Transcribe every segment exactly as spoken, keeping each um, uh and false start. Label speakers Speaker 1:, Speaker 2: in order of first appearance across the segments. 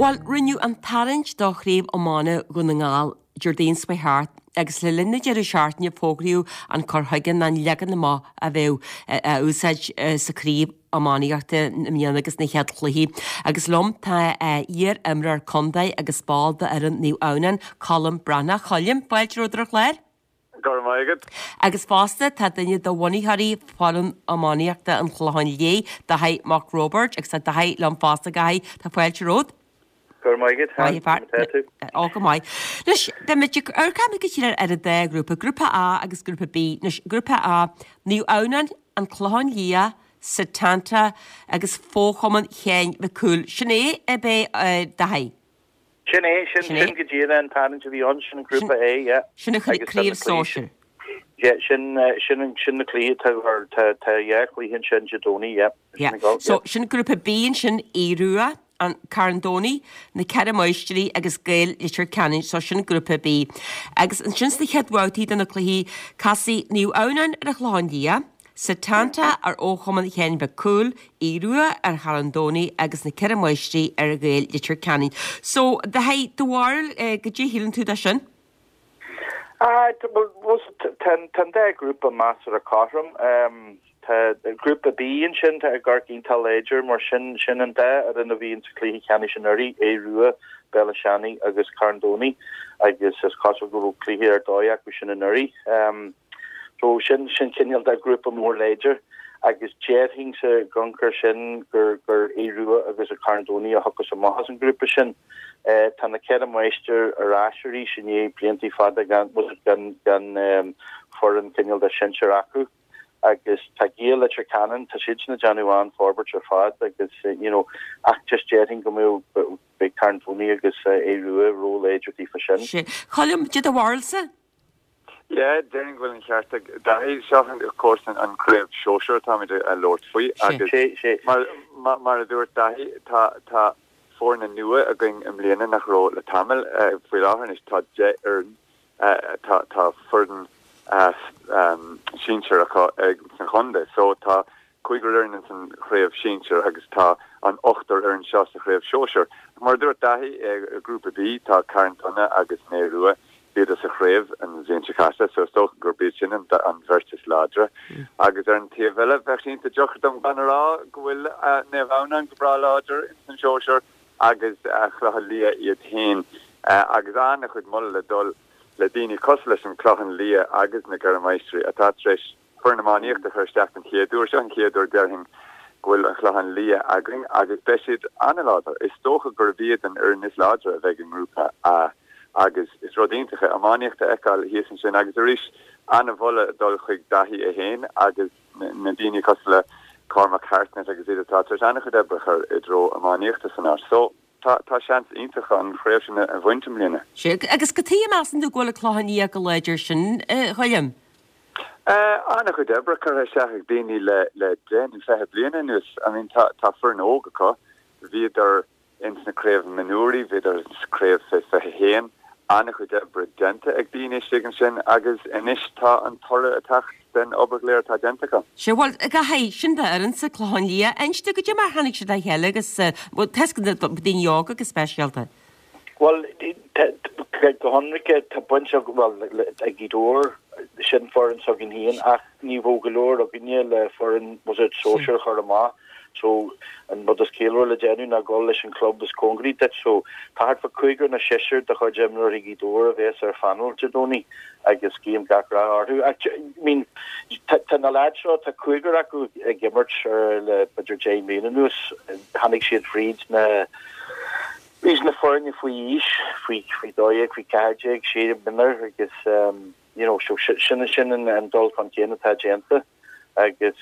Speaker 1: Bhuel, rinneadh an tarraingt do Chraobh Iomána Dhún na nGall Déardaoin seo thart agus le linn na deireadh seachtaine fógraíodh an cur chuige nó an leagan amach a bheadh á úsáid sa chraobh iománaíochta i mbliana agus na chéad chluichí. Agus liom tá iar-imreoir contae agus ball d'fhoireann Naomh Adhamhnáin, Colm Breathnach. Choilm, fáilte romhat ar an chlár.
Speaker 2: Go raibh maith agat.
Speaker 1: Agus fosta tá duine de bhunaitheoirí foireann iománaíochta an Chlocháin Léith, Daithí Mac Roibeaird, agus tá Daithí liom fosta. Daithí, tá fáilte romhat.
Speaker 2: Go raibh maith agat.
Speaker 1: Maith tú. Ó go maith. Anois, beimid ag amharc go díreach ar an dá ghrúpa, Grúpa A agus Grúpa B. Anois, Grúpa A, Naomh Adhamhnáin, An Clochán Liath, Setanta agus Fo-Chumann Sheáin Mhic Cumhaill. Sin é ab é Daithí?
Speaker 2: Sin é, sin sin go díreach an tarraingt a bhí ann, sin an Grúpa A, yeah.
Speaker 1: Sin an chraobh sóisir.
Speaker 2: Yeah, sin sin sin na cluichí atá tá tá dhá chluiche ansin Dé Domhnaigh, yeah.
Speaker 1: Yeah. So sin Grúpa B ansin, Aodh Rua, an Carn Domhnaigh, na Ceithre Máistrí agus Gaeil Leitir Ceanainn, so sin Grúpa B. Agus ansin sna chéad bhabhtaí de na cluichí, casfaidh Naomh Adhamhnáin ar an Chlochán Liath, Setanta ar Fho-Chumann Sheáin Mhic Cumhaill, Aodh Rua ar Charn Domhnaigh agus na Ceithre Máistrí ar Ghaeil Leitir Ceanainn. So, Daithí, do bharúil, goidé a shíleann tú de sin?
Speaker 2: Ah, bhuel, tá an dá ghrúpa measartha cothrom. Tá grúpa B ansin, tá ag amharc iontach láidir mar sin, sin an dá fhoireann a bhí sa chluiche ceannais anuraidh, Aodh Rua, Béal Átha Seanaidh agus Carn Domhnaigh agus is cosúil go raibh cluiche ar dóigh acu sin anuraidh. So sin sin cineál de ghrúpa mór láidir agus déarfainn sa gconcar sin gur gur Aodh Rua agus an Carn Domhnaigh a thiocfas amach as an grúpa sin. Tá na Ceithre Máistir ar ais arís i ndiaidh blianta fada gan gan gan foireann cineál de sinsir acu agus tá Gaeil Leitir Ceanainn, tá siadsan ag déanamh an-forbairt ar fad agus you know ach just déarfainn go mbeadh beidh Carn Domhnaigh agus Aodh Rua ró-láidir daofa sin.
Speaker 1: Sea. Choilm, goidé do bharúilsa?
Speaker 3: Yeah, déarfainn go bhfuil an ceart ag Daithí. Seo of course an craobh sóisir atáimid a labhairt faoi agus mar mar a dúirt Daithí tá tá foirne nua againn i mbliana nach raibh le tamall faoi láthair anois tá deich fhoireann tá tá foireann sinsir acu ag san chontae so tá cúigear fhoireann ins an chraobh sinsir agus tá an ochtar fhoireann seo sa chraobh sóisir. Mar a dúirt Daithí, i Grúpa B tá Carn Donna agus Naomh Rua, bhíodar sa chraobh an bhliain seo caite so is dócha gurb iad sin an bheirt is láidre. Agus ar an taobh eile, bheadh sé iontach deacair dom gan a rá go bhfuil Naomh Adhamhnáin go breá láidir ins an sóisear agus Clochán Liath iad féin agus an-chuid moladh le dul le daoine cosúil leis an Clochán Liath agus na gCeithre Máistrí atá tar éis foireann iománaíochta a chur isteach den chéad uair. Seo an chéad uair, déarfainn, go bhfuil an Clochán Liath againn agus beidh siad an-láidir. Is dócha gurb iad an fhoireann is láidre a bheidh i nGrúpa A agus is rud iontach é iománaíocht a fheiceáil thíos ansin agus arís an-mholadh ag dul chuig Daithí é féin agus na daoine cosúil le Cormac Hartnett agus iad atá tar éis an-chuid oibre a chur i dtreo iománaíochta san áit. So, tá tá seans iontach an chraobh sin a bhaint i mbliana.
Speaker 1: Sea, agus cad chuige a measann tú go bhfuil an Clochán Liath chomh láidir sin, a Choilm?
Speaker 3: An-chuid oibre curtha isteach ag daoine le le deich nó fiche bliain anuas. I mean tá tá foireann óg acu. Bhíodar ins na craobh mionúirí, bhíodar ins craobh fé fiche haon. An-chuid oibre déanta ag daoine istigh ansin agus anois tá an toradh ag teacht den obair go léir atá déanta acu.
Speaker 1: Sea, bhuel, Dhaithí, sin d'fhoireann sa Clochán Liath. Inis dom goidé mar tháinig siad le chéile agus, bhuel, tá 'fhios agam daoine óga go speisialta.
Speaker 2: Bhuel, go hionraice, tá baint ag, bhuel, ag Gaoth Dobhair, sin foireann s'againn féin, ach ní bheadh go leor againne le foireann, was it, sóisir a chur amach. So, an rud is ciallmhaire le déanamh ná dul leis an club is cóngaraí duit. So, tá thart fá cúigear nó seisear de chuid imreoirí Ghaoth Dobhair a bhéas ar phainéal Dé Domhnaigh agus guím gach rath orthu. Ach, I mean, tá, tá na leaids seo, tá cúigear acu ag imirt le b'fhéidir deich mbliana anuas. Tháinig siad fríd na, Bhí na foirne faoi aois, faoi faoi dó dhéag, faoi ceathair déag, sé mionúir agus you know so sin sin an dul chun cinn atá déanta agus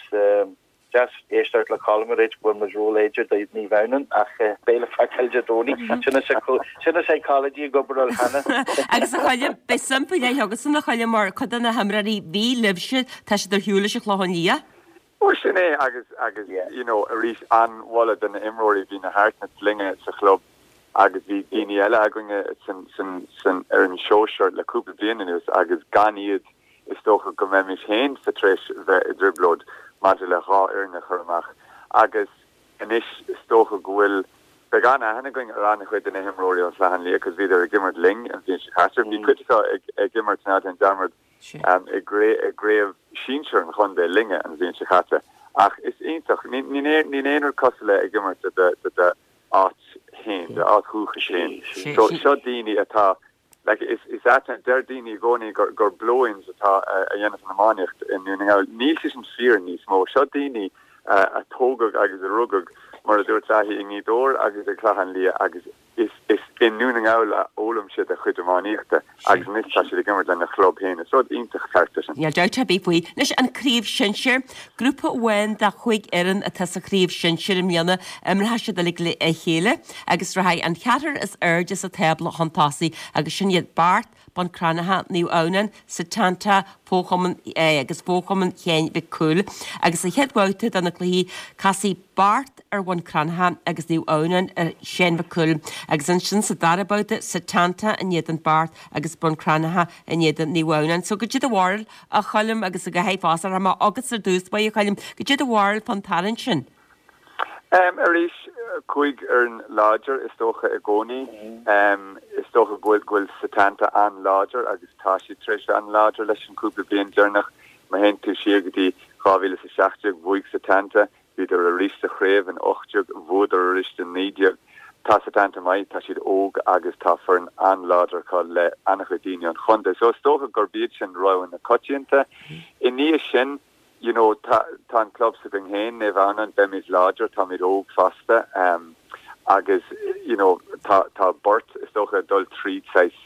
Speaker 2: deas éisteacht le Colm ag ráit go bhfuil muid ró-láidir do Naomh Adhamhnáin ach beidh le feiceáil Dé Domhnaigh. Sin sin an psychology ag obair cheana.
Speaker 1: Agus a Choilm, beidh suim faoi leith agatsa a Choilm mar cuid de na himreoirí bhí libhse, tá siad ar shiúl leis an Chlochán Liath.
Speaker 3: Ó sin é agus agus you know arís an-mholadh do na imreoirí bhí na Hartnetts linne sa chlub agus bhí daoine eile againne san san san fhoireann sóisear le cúpla bliain anuas agus gan iad is dócha go mbeimis féin sa tar éis bheith i dtrioblóid maidir le dhá fhoireann a chur amach agus anois is dócha go bhfuil Beidh an-aithne againn ar an-chuid de na himreoirí ón Chlochán Liath cos bhíodar ag imirt linn an bhliain seo caite. Bhí cuid acu ag imirt, ná déan dearmad, i gcraobh sinsir an chontae linne an bhliain seo caite. Ach is iontach, níl aon rud cosúil le ag imirt do do áit féin, do áit dhúchais féin. So seo daoine atá, like, is is ait, deir daoine i gcónaí gur gur blow-ins atá a dhéanamh an iománaíocht i nDún na nGall. Níl sé sin fíor níos mó. Seo daoine a tógadh agus a rugadh, mar a dúirt Daithí, i nGaoth Dobhair agus ag Clochán Liath agus is is i nDún na nGall a fhoghlaim siad a chuid iománaíochta agus anois tá siad ag imirt lena chlub féin. Is rud iontach ceart é sin.
Speaker 1: Níl dabht ar bith faoi. Anois an Craobh Shinsir, grúpa amháin de chúig fhoireann atá sa Chraobh Shinsir i mbliana, imreoidh siad uilig le chéile agus rachaidh an ceathrar is airde sa tábla chun tosaigh agus sin iad Beart, Bun Cranncha, Naomh Adhamhnáin, Setanta, Fo-Chumann agus Fo-Chumann Sheáin Mhic Cumhaill agus sa chéad bhabhta de na cluichí casfaidh Beart ar Bhun Cranncha agus Naomh Adhamhnáin ar Sheán Mhic Cumhaill agus ansin sa dara babhta Setanta in éadan Beart agus Bun Cranncha in éadan Naomh Adhamhnáin. So goidé do bharúil a Choilm agus a Dhaithí fosta rachaidh mé chugatsa ar dtús báire a Choilm, goidé do bharúil fán tarraingt sin.
Speaker 3: Arís, cúig fhoireann láidir is dócha i gcónaí. Is dócha go bhfuil go bhfuil Setanta an-láidir agus tá siad tar éis bheith an-láidir leis an cúpla bliain deireanach. Má théann tú siar go dtí dhá mhíle is a seacht déag, bhuaigh Setanta, bhíodar arís sa chraobh in ocht déag, bhuadar arís in naoi déag. Tá Setanta maith, tá siad óg agus tá foireann an-láidir acu le an-chuid daoine ón chontae. So is dócha gurb iad sin rogha na coitianta. I ndiaidh sin, you know, tá tá an club s'againn féin, Naomh Adhamhnáin, beimid láidir, táimid óg fosta um, agus you know, tá tá Beart is dócha ag dul tríd saghas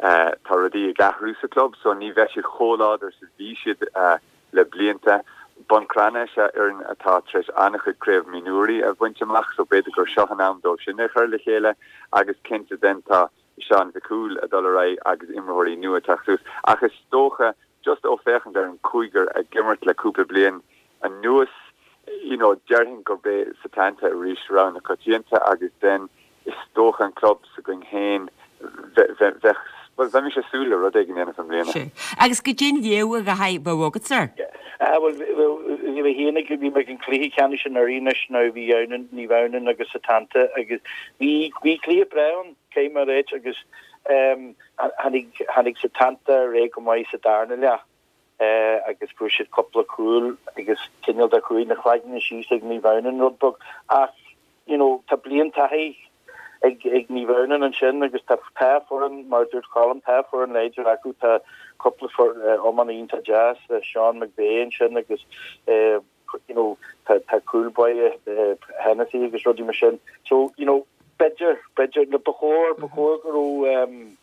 Speaker 3: uh, tá rudaí ag athrú sa club, so ní bheidh siad chomh láidir is a bhí siad uh, le blianta. Bun Cranncha is ea fhoireann atá tar éis an-chuid craobh mionúirí a bhaint amach, so b'fhéidir gur seo an am dóibh sin a chur le chéile agus cinnte then tá Seán Mhic Cumhaill ag dul ar aghaidh agus imreoirí nua ag teacht suas. Ach is dócha just ó féachaint ar an cúigear ag imirt le cúpla bliain anuas, you know, déarfainn gurb é Setanta arís rogha na coitianta agus then is dócha an club s'againn féin bheadh, bhuel, bheimis ag súil le rud éigin a dhéanamh i mbliana.
Speaker 1: Sea. Agus goidé an léamh a Dhaithí a bheadh agatsa air.
Speaker 2: Ah, bhuel, bhí mé féin ag, bhí mé ag an cluiche ceannais anuraidh anois, now bhí Adhamhnáin, Naomh Adhamhnáin agus Setanta agus bhí, bhí cluiche breá ann, caithfidh mé a ráit, agus Tháinig tháinig Setanta ar aghaidh go maith sa darna leath agus fuair siad cúpla cúl agus cineál de chuaigh na cloigne síos ag Naomh Adhamhnáin rud beag ach you know tá bliain taithí ag ag Naomh Adhamhnáin ansin agus tá tá foireann mar a dúirt Colm tá foireann láidir acu tá cúpla iománaí iontach deas Sean McVeigh ansin agus you know tá tá cúl báire Hennessy agus rudaí mar sin so you know B'fhéidir, b'fhéidir, nó ba chóir, ba chóir go raibh,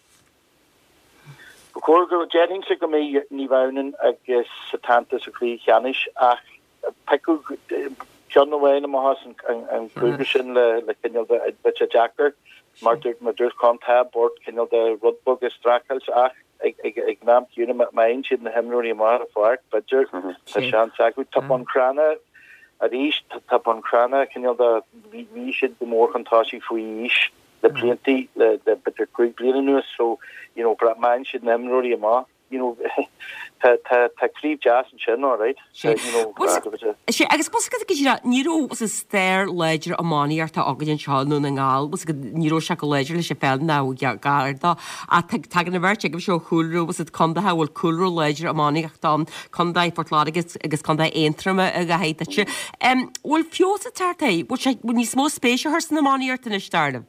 Speaker 2: ba chóir go raibh, déarfainnse go mbeidh Naomh Adhamhnáin agus Setanta sa chluiche ceannais ach piocadh ceann amháin amach as an gcúigear sin le le cineál de, beidh sé deacair mar dúirt, mar dúirt Con, tá Beart cineál de rud beag ag streachailt ach ag, ag, ag an am céanna má fhaigheann siad na himreoirí amach ar an pháirc, b'fhéidir, tá seans acu. Tá Bun Cranncha, Arís, tá Bun Cranncha cineál de, bhí siad go mór chun tosaigh faoi aois le blianta, le b'fhéidir cúig bliana anuas, so, you know, má fhaigheann siad na himreoirí amach, you know, tá, tá, tá craobh deas ansin, alright,
Speaker 1: Sea.
Speaker 2: you know,
Speaker 1: Sea, agus bhfuil a fhios agat go díreach, ní raibh sa stair láidir iománaíochta againn anseo i nDún na nGall, bhfuil a fhios agat, ní raibh sé go láidir leis an pheil ná gar dó, ach tagann an bheirt agaibhse ó chúlra, bhfuil a fhios agat, contaetha a bhfuil cúlra láidir iománaíochta ann, Contae Phort Láirge agus Contae Aontroma a Dhaithí duitse. Bhfuil feabhas ag teacht air? Bhfuil sé, bhfuil níos mó spéise á chur san iománaíocht anois, dar libh?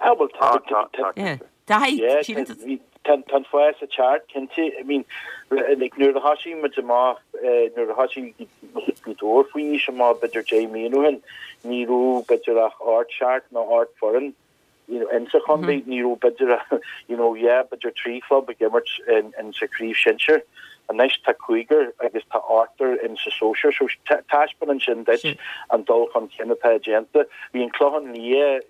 Speaker 2: Ah, bhuel, tá,
Speaker 3: tá, tá,
Speaker 1: Yeah. Daithí,
Speaker 2: Yeah,
Speaker 1: síleann tú-
Speaker 2: tá tá an fás ag teacht, cinnte. I mean, like, nuair a thosaigh muid amach, eh, nuair a thosaigh Gaoth Dobhair faoi aois amach, b'fhéidir deich mbliana ó shin, ní raibh b'fhéidir ach ocht seacht nó ocht foireann you know, insa chontae, ní raibh b'fhéidir, you know, yeah, b'fhéidir trí chlub ag imirt in, in sa chraobh sinsir. Anois tá cúigear agus tá ochtar in sa sóisear, so taispeánann sin duit an dul chun cinn atá déanta. Bhí an Clochán Liath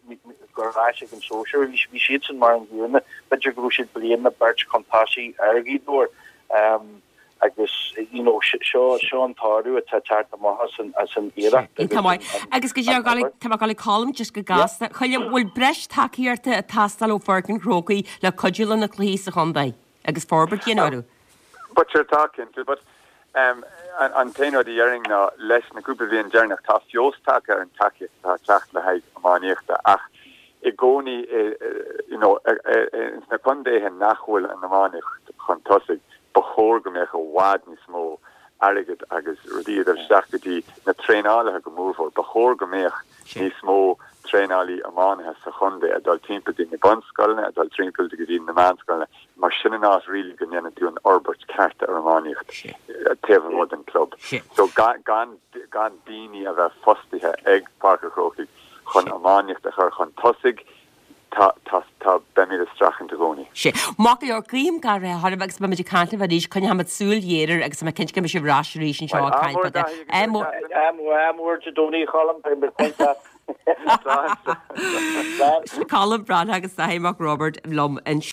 Speaker 2: ar ais ag an sóisear, bhí, bhí siadsan mar an gcéanna, b'fhéidir go raibh siad bliain nó beirt chun tosaigh ar Ghaoth Dobhair. Um, agus you know, seo seo an toradh atá teacht amach as an as an iarracht
Speaker 1: Iontach maith. Agus go dtí tá mé ag gabháil chuig Colm just go gasta. Choilm, bhfuil breis tacaíochta ag teastáil ó Pháirc an Chrócaigh le cuidiú le na cluichí sa chontae agus forbairt a dhéanamh orthu?
Speaker 3: But sure tá cinnte, but Um, an, an t-aon rud a déarfainn ná leis na cúpla bliain deireanach tá feabhas tagtha ar an tacaíocht atá ag teacht le haghaidh iománaíochta ach i gcónaí you know, ins na contaetha nach bhfuil an iománaíocht chun tosaigh ba chóir go mbeadh i bhfad níos mó airgead agus rudaí ag dul isteach go dtí na traenálaithe go mórmhór. Ba chóir go mbeadh níos mó traenálaí iománaithe sa chontae ag dul timpeall dtí na bunscoileanna, ag dul timpeall go dtí na meánscoileanna, mar sin an áit really go ndéanann tú an fhorbairt ceart ar iománaíocht taobh amuigh den club. So gan gan gan daoine a bheith fostaithe ag Páirc an Chrócaigh chun iománaíocht a chur chun tosaigh, Tá, tá, tá, beimid ag streachailt i gcónaí.
Speaker 1: Sea. Maith go leor, guím gach rath oraibh agus beimid ag caint libh arís, coinneoimid súil ghéar air agus tá mé cinnte go mbeidh sibh ar ais arís anseo ag caint fá dtaobh. Ádh mór.
Speaker 2: Ádh mór Dé Domhnaigh, a Cholm, beidh muid ag caint leat.
Speaker 1: Slán. Colm Breathnach agus Dáithí Mac Roibeaird liom anseo.